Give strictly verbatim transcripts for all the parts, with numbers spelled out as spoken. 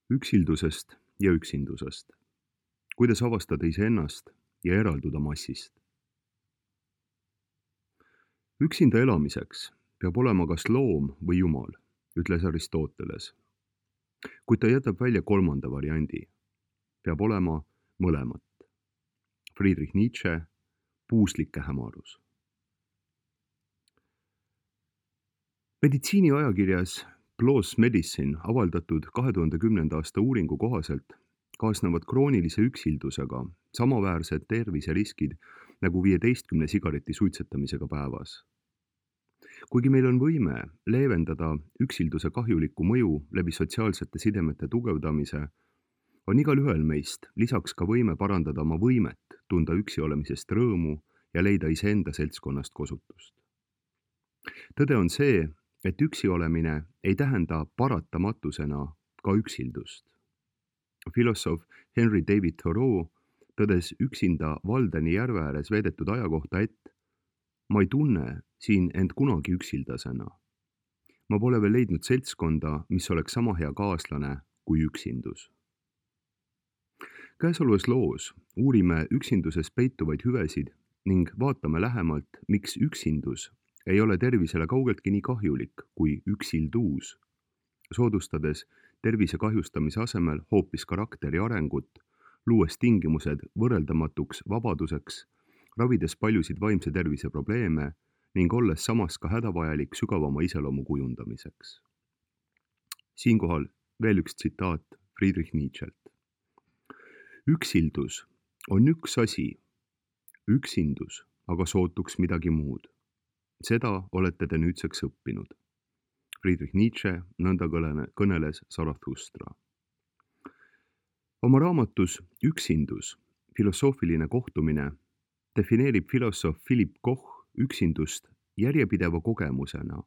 Üksildusest ja üksindusest. Kuidas avastada iseennast ja eralduda massist? Üksinda elamiseks peab olema kas loom või jumal, ütles Aristoteles. Kuid ta jätab välja kolmanda variandi. Peab olema mõlemat. Friedrich Nietzsche, puuslike hämarus. Meditsiini ajakirjas PLOS Medicine avaldatud kahe tuhande kümnenda aasta uuringu kohaselt kaasnevad kroonilise üksildusega samaväärsed terviseriskid nagu viieteistkümne sigareti suitsetamisega päevas. Kuigi meil on võime leevendada üksilduse kahjulikku mõju läbi sotsiaalsete sidemete tugevdamise, on igal ühel meist lisaks ka võime parandada oma võimet tunda üksi olemisest rõõmu ja leida iseenda seltskonnast kosutust. Tõde on see, et üksi olemine ei tähenda paratamatusena ka üksildust. Filosoof Henry David Thoreau tõdes üksinda Valdeni järve ääres veedetud aja kohta, et ma ei tunne siin end kunagi üksildasena. Ma pole veel leidnud seltskonda, mis oleks sama hea kaaslane kui üksindus. Käesolevas loos uurime üksinduses peituvaid hüvesid ning vaatame lähemalt, miks üksindus ei ole tervisele kaugeltki nii kahjulik kui üksildus, soodustades tervise kahjustamise asemel hoopis karakteri arengut, luues tingimused võrreldamatuks vabaduseks, ravides paljusid vaimse tervise probleeme ning olles samas ka hädavajalik sügavama iseloomu kujundamiseks. Siinkohal veel üks tsitaat Friedrich Nietzschelt. Üksildus on üks asi, üksindus aga sootuks midagi muud. Seda olete te nüüdseks õppinud. Friedrich Nietzsche nõnda kõneles Zarathustra. Oma raamatus Üksindus, filosoofiline kohtumine defineerib filosoof Philipp Koch üksindust järjepideva kogemusena,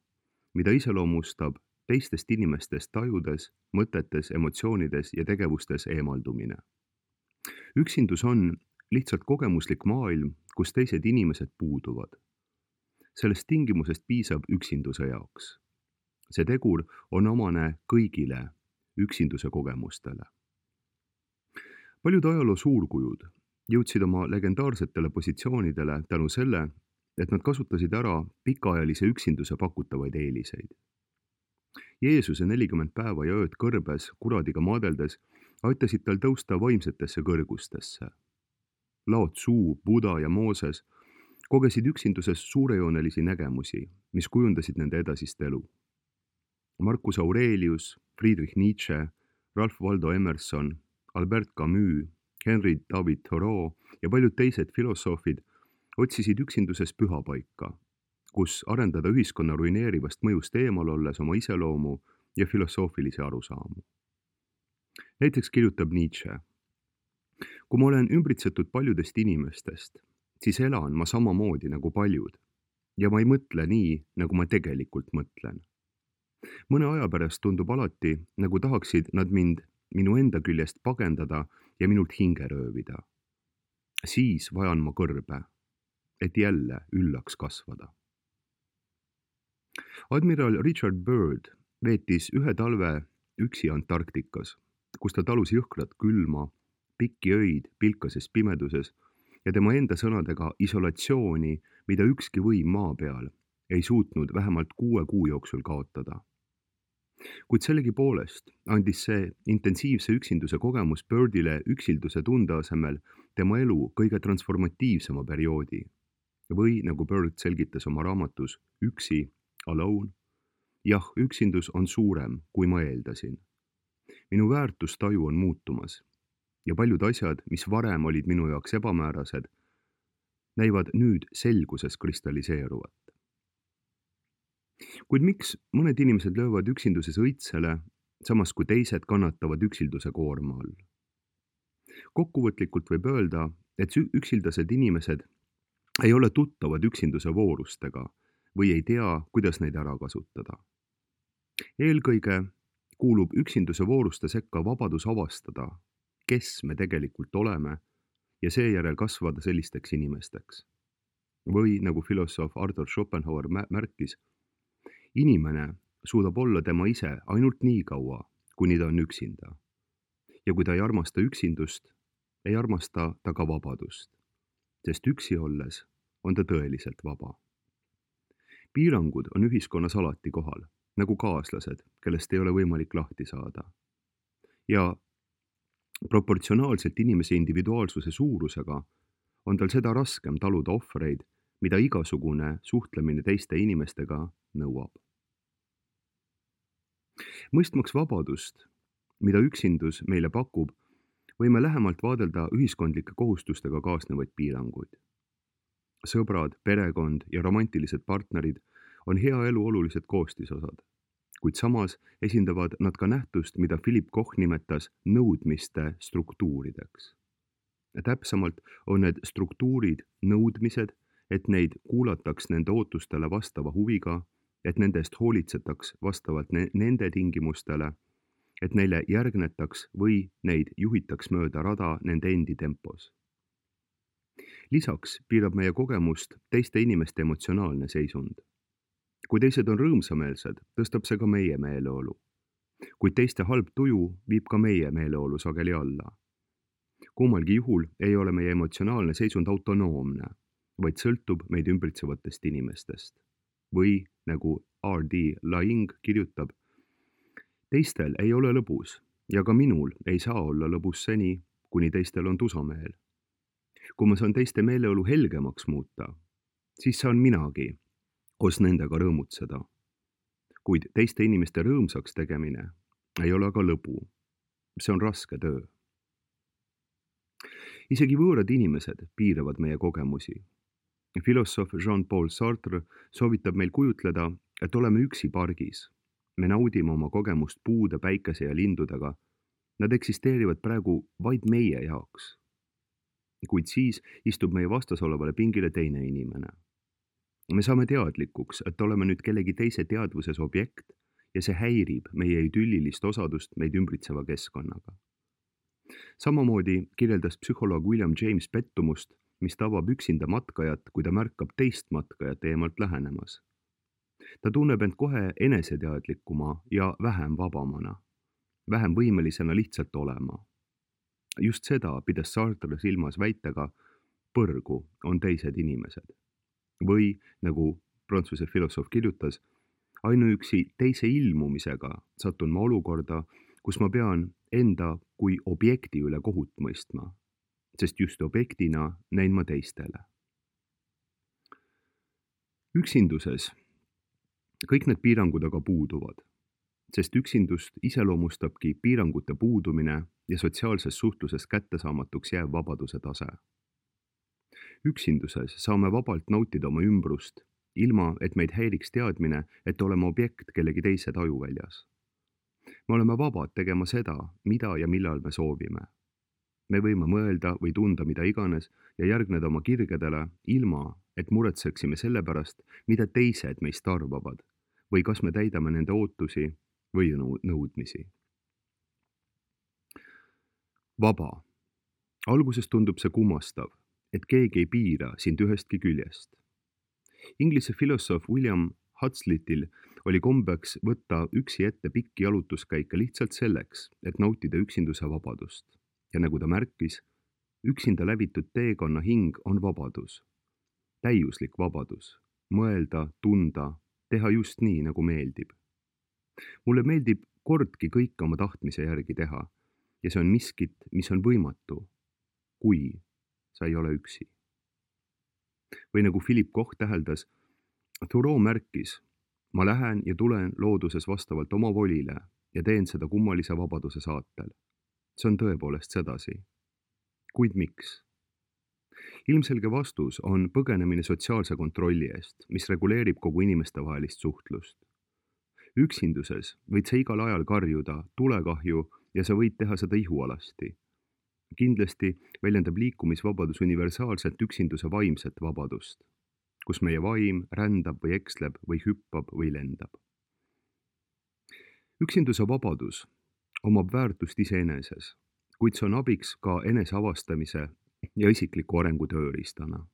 mida iseloomustab teistest inimestest tajudes, mõtetes, emotsioonides ja tegevustes eemaldumine. Üksindus on lihtsalt kogemuslik maailm, kus teised inimesed puuduvad. Sellest tingimusest piisab üksinduse jaoks. See tegur on omane kõigile üksinduse kogemustele. Paljud ajaloo suurkujud jõudsid oma legendaarsetele positsioonidele tänu selle, et nad kasutasid ära pikaajalise üksinduse pakutavaid eeliseid. Jeesuse nelikümmend päeva ja ööd kõrbes kuradiga maadeldes aitasid tal tõusta vaimsetesse kõrgustesse. Lao Tzu, Buda ja Mooses kogesid üksinduses suurejoonelisi nägemusi, mis kujundasid nende edasist elu. Marcus Aurelius, Friedrich Nietzsche, Ralph Waldo Emerson, Albert Camus, Henry David Thoreau ja paljud teised filosoofid otsisid üksinduses pühapaika, kus arendada ühiskonna ruineerivast mõjust eemal olles oma iseloomu ja filosoofilisi arusaamu. Näiteks kirjutab Nietzsche: kui ma olen ümbritsetud paljudest inimestest, siis elan ma samamoodi nagu paljud ja ma ei mõtle nii, nagu ma tegelikult mõtlen. Mõne aja pärast tundub alati, nagu tahaksid nad mind minu enda küljest pagendada ja minult hinge röövida. Siis vajan ma kõrbe, et jälle üllaks kasvada. Admiral Richard Byrd veetis ühe talve üksi Antarktikas, kus ta talus jõhkrat külma, pikki öid pilkases pimeduses ja tema enda sõnadega isolatsiooni, mida ükski võim maa peal ei suutnud vähemalt kuue kuu jooksul kaotada. Kuid sellegi poolest andis see intensiivse üksinduse kogemus Birdile üksilduse tunde asemel tema elu kõige transformatiivsema perioodi. Või nagu Bird selgitas oma raamatus Üksi, Alone, jah, üksindus on suurem, kui ma eeldasin. Minu väärtustaju on muutumas ja paljud asjad, mis varem olid minu jaoks ebamäärased, näivad nüüd selguses kristalliseeruvat. Kuid miks mõned inimesed löövad üksinduses õitsele, samas kui teised kannatavad üksilduse koorma all? Kokkuvõtlikult võib öelda, et üksildased inimesed ei ole tuttavad üksinduse voorustega või ei tea, kuidas neid ära kasutada. Eelkõige kuulub üksinduse vooruste sekka vabadus avastada, kes me tegelikult oleme ja seejärel kasvada sellisteks inimesteks. Või nagu filosoof Arthur Schopenhauer märkis, inimene suudab olla tema ise ainult nii kaua, kuni ta on üksinda. ja kui ta ei armasta üksindust, ei armasta ta ka vabadust, sest üksi olles on ta tõeliselt vaba. Piirangud on ühiskonnas alati kohal, nagu kaaslased, kellest ei ole võimalik lahti saada. Ja proportsionaalselt inimese individuaalsuse suurusega on tal seda raskem taluda ohvreid, mida igasugune suhtlemine teiste inimestega nõuab. Mõistmaks vabadust, mida üksindus meile pakub, võime lähemalt vaadelda ühiskondlike kohustustega kaasnevaid piiranguid. Sõbrad, perekond ja romantilised partnerid on hea elu olulised koostisosad, kuid samas esindavad nad ka nähtust, mida Philip Koch nimetas nõudmiste struktuurideks. Täpsemalt on need struktuurid nõudmised, et neid kuulataks nende ootustele vastava huviga, et nendest hoolitsetaks vastavalt ne- nende tingimustele, et neile järgnetaks või neid juhitaks mööda rada nende endi tempos. Lisaks piirab meie kogemust teiste inimeste emotsionaalne seisund. Kui teised on rõõmsameelsed, tõstab see ka meie meeleolu. Kuid teiste halb tuju viib ka meie meeleolu sageli alla. Kummalgi juhul ei ole meie emotsionaalne seisund autonoomne, vaid sõltub meid ümbritsevatest inimestest. Või nagu R D Laing kirjutab, teistel ei ole lõbus ja ka minul ei saa olla lõbus seni, kuni teistel on tusameel. Kui ma saan teiste meeleolu helgemaks muuta, siis saan minagi koos nendega rõõmutseda. Kuid teiste inimeste rõõmsaks tegemine ei ole aga lõbu. See on raske töö. Isegi võõrad inimesed piiravad meie kogemusi. Filosoof Jean-Paul Sartre soovitab meil kujutleda, et oleme üksi pargis. Me naudime oma kogemust puude, päikese ja lindudega. Nad eksisteerivad praegu vaid meie jaoks. Kuid siis istub meie vastas olevale pingile teine inimene. Me saame teadlikuks, et oleme nüüd kellegi teise teadvuses objekt ja see häirib meie idüllilist osadust meid ümbritseva keskkonnaga. Samamoodi kirjeldas psühholoog William James pettumust, mis tabab üksinda matkajat, kui ta märkab teist matkajat eemalt lähenemas. Ta tunneb end kohe eneseteadlikuma ja vähem vabamana, vähem võimelisena lihtsalt olema. Just seda pidas Sartre silmas väitega, põrgu on teised inimesed. Või, nagu prantsuse filosoof kirjutas, ainuüksi teise ilmumisega satun ma olukorda, kus ma pean enda kui objekti üle kohut mõistma, sest just objektina näin ma teistele. Üksinduses kõik need piirangud aga puuduvad, sest üksindust iseloomustabki piirangute puudumine ja sotsiaalses suhtluses kättesaamatuks jääv vabaduse tase. Üksinduses saame vabalt nautida oma ümbrust, ilma et meid häiriks teadmine, et oleme objekt kellegi teise tajuväljas. Me oleme vabad tegema seda, mida ja millal me soovime. Me võime mõelda või tunda mida iganes ja järgneda oma kirgedele, ilma et muretseksime selle pärast, mida teised meist arvavad või kas me täidame nende ootusi või nõudmisi. Vaba. Alguses tundub see kummastav, et keegi ei piira sind ühestki küljest. Inglise filosoof William Huxley'l oli kombeks võtta üksi ette pikki jalutuskäike lihtsalt selleks, et nautida üksinduse vabadust. Ja nagu ta märkis, üksinda läbitud teekonna hing on vabadus. Täiuslik vabadus. Mõelda, tunda, teha just nii, nagu meeldib. Mulle meeldib kordki kõike oma tahtmise järgi teha ja see on miskit, mis on võimatu, kui sa ei ole üksi. Või nagu Philip Koch täheldas, Thoreau märkis, ma lähen ja tulen looduses vastavalt oma volile ja teen seda kummalise vabaduse saatel. See on tõepoolest sedasi. Kuid miks? Ilmselge vastus on põgenemine sotsiaalse kontrolli eest, mis reguleerib kogu inimestevahelist suhtlust. Üksinduses võid sa igal ajal karjuda tulekahju ja sa võid teha seda ihualasti. Kindlasti väljendab liikumisvabadus universaalselt üksinduse vaimset vabadust, kus meie vaim rändab või eksleb või hüppab või lendab. Üksinduse vabadus omab väärtust iseeneses, kuid see on abiks ka eneseavastamise ja isikliku arengu tööriistana.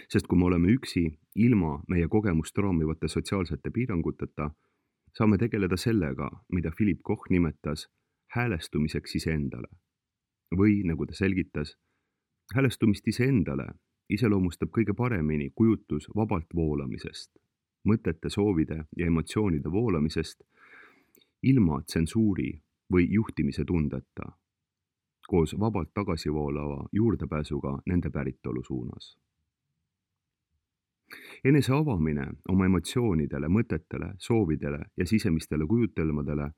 Sest kui me oleme üksi ilma meie kogemust raamivate sotsiaalsete piiranguteta, saame tegeleda sellega, mida Philip Koch nimetas häälestumiseks iseendale. Või, nagu ta selgitas, häälestumist iseendale iseloomustab kõige paremini kujutlus vabalt voolamisest, mõtete, soovide ja emotsioonide voolamisest ilma tsensuuri või juhtimise tundeta, koos vabalt tagasi voolava juurdepääsuga nende päritolu suunas. Enese avamine oma emotsioonidele, mõtetele, soovidele ja sisemistele kujutelmadele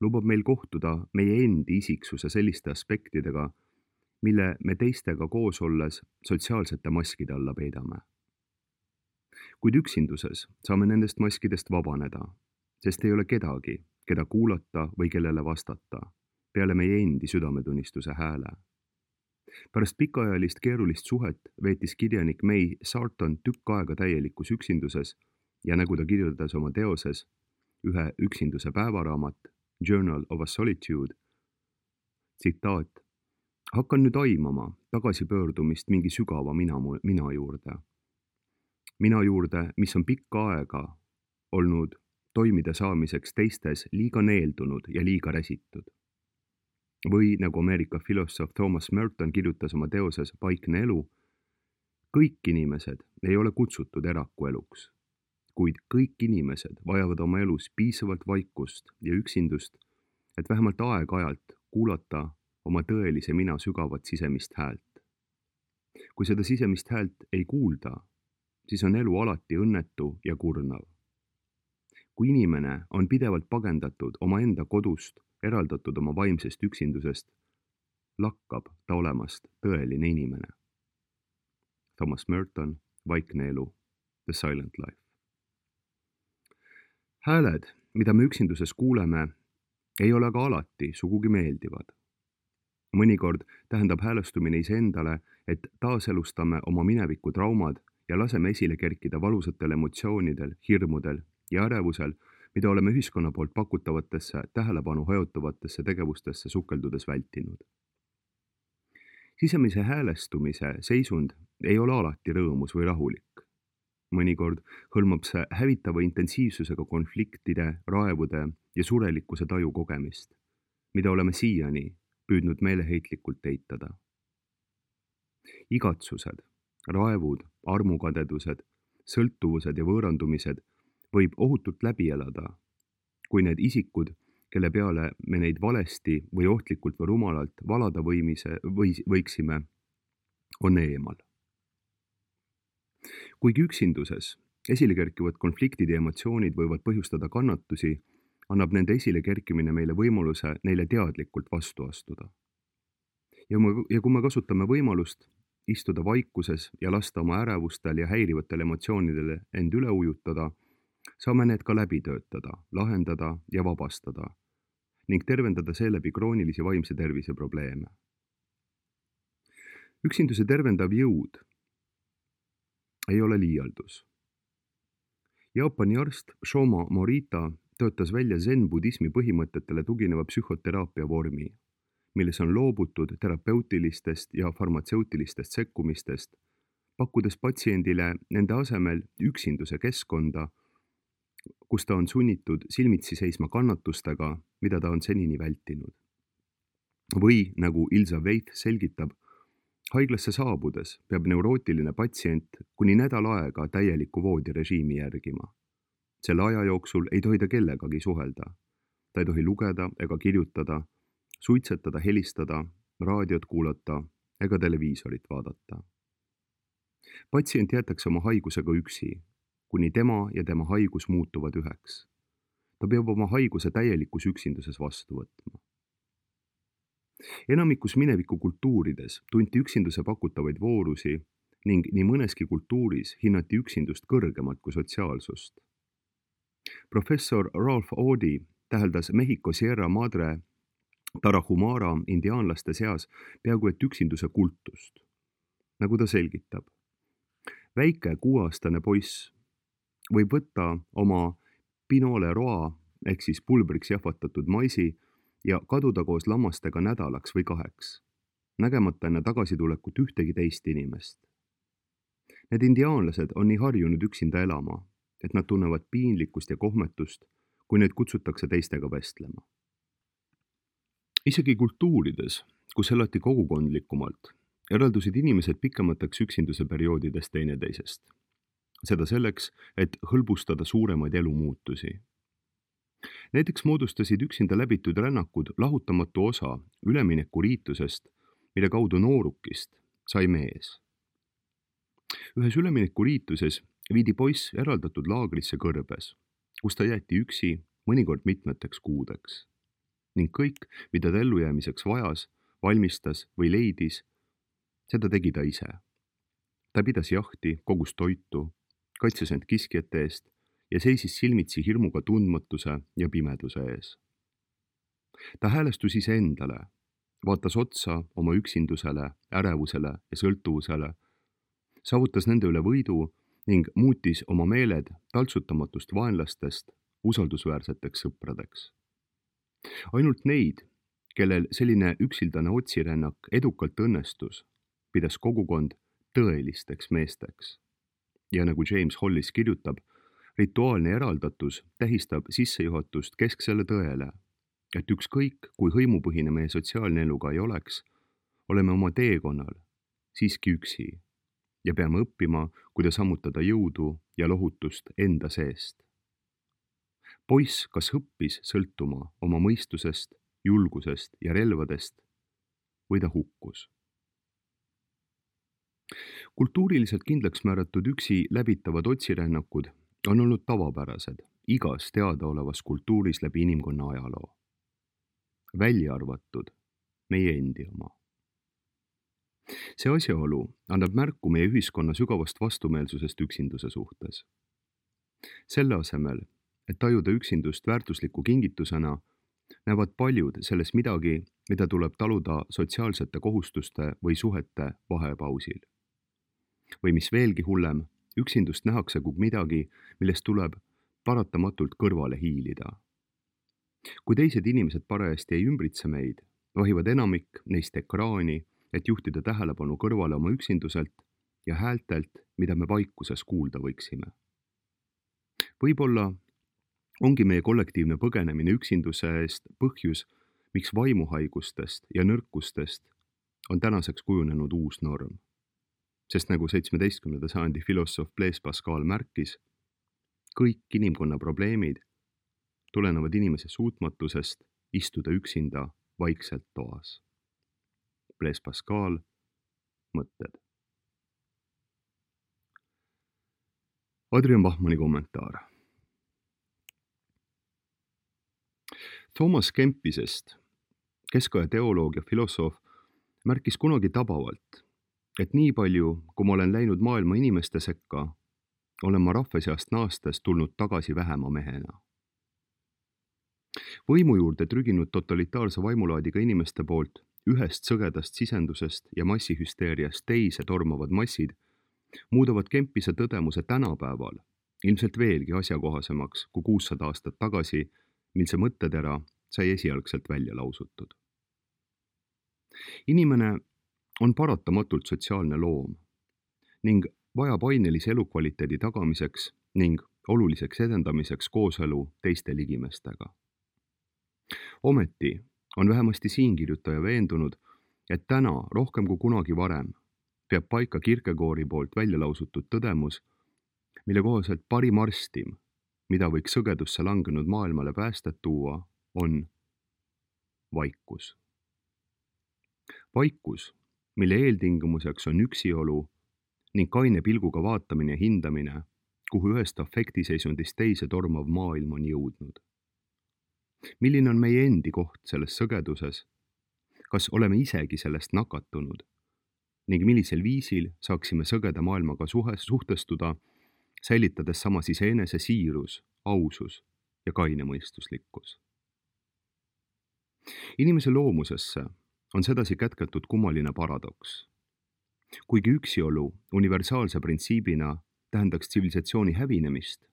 lubab meil kohtuda meie endi isiksuse selliste aspektidega, mille me teistega koos olles sotsiaalsete maskide alla peidame. Kuid üksinduses saame nendest maskidest vabaneda, sest ei ole kedagi, keda kuulata või kellele vastata, peale meie endi südametunnistuse hääle. Pärast pikaajalist keerulist suhet veetis kirjanik May Sarton tükk aega täielikus üksinduses ja nagu ta kirjutas oma teoses, ühe üksinduse päevaraamat, Journal of a Solitude, tsitaat, hakkan nüüd aimama tagasipöördumist mingi sügava mina, mina juurde. Mina juurde, mis on pikka aega olnud toimida saamiseks teistes liiga neeldunud ja liiga räsitud. Või nagu Ameerika filosoof Thomas Merton kirjutas oma teoses Vaikne elu, kõik inimesed ei ole kutsutud erakueluks, kuid kõik inimesed vajavad oma elus piisavalt vaikust ja üksindust, et vähemalt aeg-ajalt kuulata oma tõelise mina sügavat sisemist häält. Kui seda sisemist häält ei kuulda, siis on elu alati õnnetu ja kurnav. Kui inimene on pidevalt pagendatud oma enda kodust, eraldatud oma vaimsest üksindusest, lakkab ta olemast tõeline inimene. Thomas Merton, Vaikne elu, The Silent Life. Hääled, mida me üksinduses kuuleme, ei ole aga alati sugugi meeldivad. Mõnikord tähendab häälestumine iseendale, et taaselustame oma mineviku traumad ja laseme esile kerkida valusatel emotsioonidel, hirmudel ja ärevusel, mida oleme ühiskonna poolt pakutavatesse, tähelepanu hajutavatesse tegevustesse sukeldudes vältinud. Sisemise häälestumise seisund ei ole alati rõõmus või rahulik. Mõnikord hõlmab see hävitava intensiivsusega konfliktide, raevude ja surelikkuse taju kogemist, mida oleme siiani püüdnud meeleheitlikult eitada. Igatsused, raevud, armukadedused, sõltuvused ja võõrandumised võib ohutult läbi elada, kui need isikud, kelle peale me neid valesti või ohtlikult või rumalalt valada võimise, või, võiksime, on eemal. Kuigi üksinduses esile kerkivad konfliktid ja emotsioonid võivad põhjustada kannatusi, annab nende esile kerkimine meile võimaluse neile teadlikult vastu astuda. Ja, me, ja kui me kasutame võimalust istuda vaikuses ja lasta oma ärevustel ja häirivatel emotsioonidele end üle ujutada, saame need ka läbi töötada, lahendada ja vabastada ning tervendada seeläbi kroonilisi vaimse tervise probleeme. Üksinduse tervendav jõud ei ole liialdus. Jaapani arst Shoma Morita töötas välja zen-budismi põhimõtetele tugineva psühhoteraapia vormi, milles on loobutud terapeutilistest ja farmatseutilistest sekkumistest, pakkudes patsiendile nende asemel üksinduse keskkonda, kus ta on sunnitud silmitsi seisma kannatustega, mida ta on senini vältinud. Või, nagu Ilza Veit selgitab, haiglasse saabudes peab neurootiline patsient kuni nädal aega täieliku voodirežiimi järgima. Selle aja jooksul ei tohi ta kellegagi suhelda. Ta ei tohi lugeda ega kirjutada, suitsetada, helistada, raadiot kuulata ega televiisorit vaadata. Patsient jäetakse oma haigusega üksi, kuni tema ja tema haigus muutuvad üheks. Ta peab oma haiguse täielikus üksinduses vastu võtma. Enamikus mineviku kultuurides tunti üksinduse pakutavaid voorusi ning nii mõneski kultuuris hinnati üksindust kõrgemalt kui sotsiaalsust. Professor Ralph Audi täheldas Mehhiko Sierra Madre Tarahumara indiaanlaste seas peaaegu et üksinduse kultust. Nagu ta selgitab, väike kuueaastane poiss võib võtta oma pinole roa ehk siis pulbriks jahvatatud maisi ja kaduda koos lammastega nädalaks või kaheks, nägemata enne tagasitulekut ühtegi teist inimest. Need indiaanlased on nii harjunud üksinda elama, et nad tunnevad piinlikkust ja kohmetust, kui neid kutsutakse teistega vestlema. Isegi kultuurides, kus elati kogukondlikumalt, eraldusid inimesed pikemateks üksinduse perioodidest teineteisest. Seda selleks, et hõlbustada suuremaid elumuutusi. Näiteks moodustasid üksinda läbitud rännakud lahutamatu osa üleminekuriitusest, mille kaudu noorukist sai mees. Ühes üleminekuriituses viidi poiss eraldatud laagrisse kõrbes, kus ta jäeti üksi mõnikord mitmeteks kuudeks. Ning kõik, mida ta ellujäämiseks vajas, valmistas või leidis, seda tegi ta ise. Ta pidas jahti, kogus toitu, kaitses end kiskjate eest ja seisis silmitsi hirmuga tundmatuse ja pimeduse ees. Ta häälestus iseendale, vaatas otsa oma üksindusele, ärevusele ja sõltuvusele, saavutas nende üle võidu ning muutis oma meeled taltsutamatust vaenlastest usaldusväärseteks sõpradeks. Ainult neid, kellel selline üksildane otsirännak edukalt õnnestus, pidas kogukond tõelisteks meesteks. Ja nagu James Hollis kirjutab, rituaalne eraldatus tähistab sissejuhatust kesksele tõele, et ükskõik, kui hõimupõhine meie sotsiaalne elu ka ei oleks, oleme oma teekonnal siiski üksi ja peame õppima, kuidas ammutada jõudu ja lohutust enda seest. Poiss kas õppis sõltuma oma mõistusest, julgusest ja relvadest või ta hukkus. Kultuuriliselt kindlaks määratud üksi läbitavad otsirännakud on olnud tavapärased igas teadaolevas kultuuris läbi inimkonna ajaloo. Välja arvatud meie endi oma. See asjaolu annab märku meie ühiskonna sügavast vastumeelsusest üksinduse suhtes. Selle asemel, et tajuda üksindust väärtusliku kingitusena, näevad paljud selles midagi, mida tuleb taluda sotsiaalsete kohustuste või suhete vahepausil. Või mis veelgi hullem, üksindust nähakse kui midagi, millest tuleb paratamatult kõrvale hiilida. Kui teised inimesed parajasti ei ümbritse meid, vahivad enamik neist ekraani, et juhtida tähelepanu kõrvale oma üksinduselt ja häältelt, mida me vaikuses kuulda võiksime. Võib-olla ongi meie kollektiivne põgenemine üksinduse eest põhjus, miks vaimuhaigustest ja nõrkustest on tänaseks kujunenud uus norm. Sest nagu seitsmeteistkümnenda sajandi filosoof Blaise Pascal märkis, kõik inimkonna probleemid tulenevad inimese suutmatusest istuda üksinda vaikselt toas. Blaise Pascal, mõtted. Adrian Bachmanni kommentaar. Thomas Kempisest, keskaja teoloog ja filosoof, märkis kunagi tabavalt, et nii palju, kui ma olen läinud maailma inimeste sekka, olen ma rahva seast naastes tulnud tagasi vähema mehena. Võimu juurde trüginud totalitaarse vaimulaadiga inimeste poolt ühest sõgedast sisendusest ja massihüsteeriast teise tormavad massid muudavad Kempise tõdemuse tänapäeval ilmselt veelgi asjakohasemaks kui kuussada aastat tagasi, mil see mõttetera sai esialgselt välja lausutud. Inimene on paratamatult sotsiaalne loom ning vajab ainelise elukvaliteedi tagamiseks ning oluliseks edendamiseks kooselu teiste ligimestega. Ometi on vähemasti siinkirjutaja veendunud, et täna rohkem kui kunagi varem peab paika Kierkegaardi poolt välja lausutud tõdemus, mille kohaselt parim arstim, mida võiks sõgedusse langenud maailmale päästet tuua, on vaikus. Vaikus, mille eeltingimuseks on üksiolu ning kaine pilguga vaatamine ja hindamine, kuhu ühest afektiseisundist teise tormav maailm on jõudnud. Milline on meie endi koht selles sõgeduses? Kas oleme isegi sellest nakatunud? Ning millisel viisil saaksime sõgeda maailmaga suhtestuda, säilitades samas iseenese siirus, ausus ja kainemõistuslikkus? Inimese loomusesse on sedasi kätketud kummaline paradoks. Kuigi üksiolu universaalse printsiibina tähendaks tsivilisatsiooni hävinemist,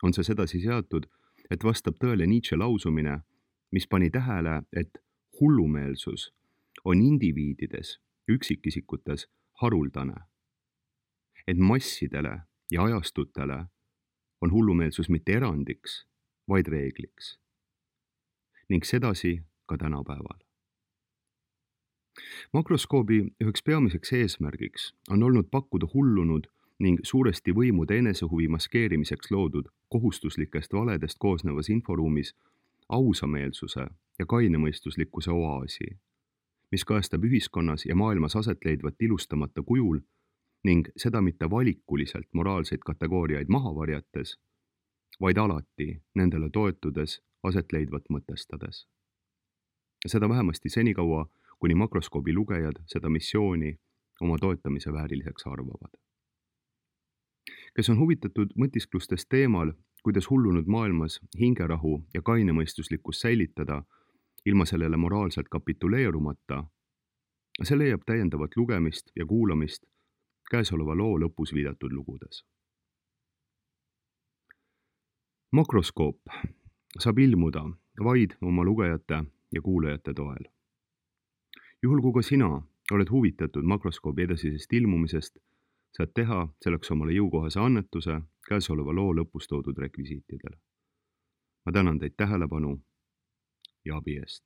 on see sedasi seatud, et vastab tõele Nietzsche lausumine, mis pani tähele, et hullumeelsus on indiviidides, üksikisikutes haruldane. Et massidele ja ajastutele on hullumeelsus mitte erandiks, vaid reegliks. Ning sedasi ka tänapäeval. Makroskoobi üheks peamiseks eesmärgiks on olnud pakkuda hullunud ning suuresti võimude enesehuvi maskeerimiseks loodud kohustuslikest valedest koosnevas inforuumis ausameelsuse ja kainemõistuslikkuse oaasi, mis kajastab ühiskonnas ja maailmas aset leidvat ilustamata kujul ning seda mitte valikuliselt moraalseid kategooriaid maha varjates, vaid alati nendele toetudes aset leidvat mõtestades. Seda vähemasti senikaua, kuni makroskoobi lugejad seda missiooni oma toetamise vääriliseks arvavad. Kes on huvitatud mõtisklustest teemal, kuidas hullunud maailmas hingerahu ja kainemõistuslikkus säilitada ilma sellele moraalselt kapituleerumata, see leiab täiendavat lugemist ja kuulamist käesoleva loo lõpus viidatud lugudes. Makroskoop saab ilmuda vaid oma lugejate ja kuulajate toel. Juhul kui ka sina oled huvitatud makroskoobi edasisest ilmumisest, saad teha selleks omale jõukohase annetuse käesoleva loo lõpus toodud rekvisiitidele. Ma tänan teid tähelepanu ja abi eest.